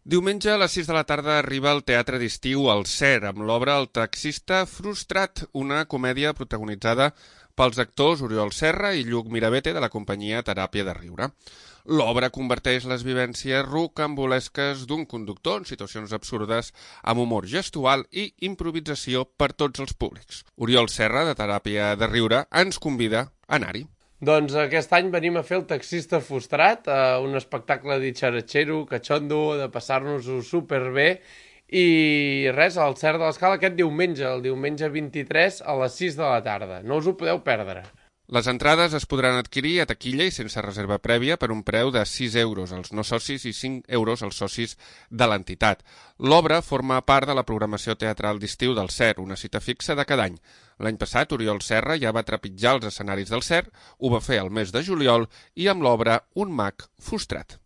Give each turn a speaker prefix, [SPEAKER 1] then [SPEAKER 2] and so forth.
[SPEAKER 1] Diumenge a les 6 de la tarda arriba al Teatre d'Estiu El Cer amb l'obra El taxista frustrat, una comèdia protagonitzada pels actors Oriol Serra i Lluc Mirabete de la companyia Teràpia de Riure. L'obra converteix les vivències rocambolesques d'un conductor en situacions absurdes amb humor gestual i improvisació per tots els públics. Oriol Serra, de Teràpia de Riure, ens convida a anar-hi.
[SPEAKER 2] Doncs aquest any venim a fer El taxista frustrat, un espectacle ditxaratxero, catxondo, de passar-nos-ho superbé, i res, al Cer de l'Escala aquest diumenge, el diumenge 23 a les 6 de la tarda. No us ho podeu perdre.
[SPEAKER 1] Les entrades es podran adquirir a taquilla i sense reserva prèvia per un preu de 6 euros als no socis i 5 euros als socis de l'entitat. L'obra forma part de la programació teatral d'estiu del Cer, una cita fixa de cada any. L'any passat, Oriol Serra ja va trepitjar els escenaris del Cer, ho va fer el mes de juliol i amb l'obra Un mag frustrat.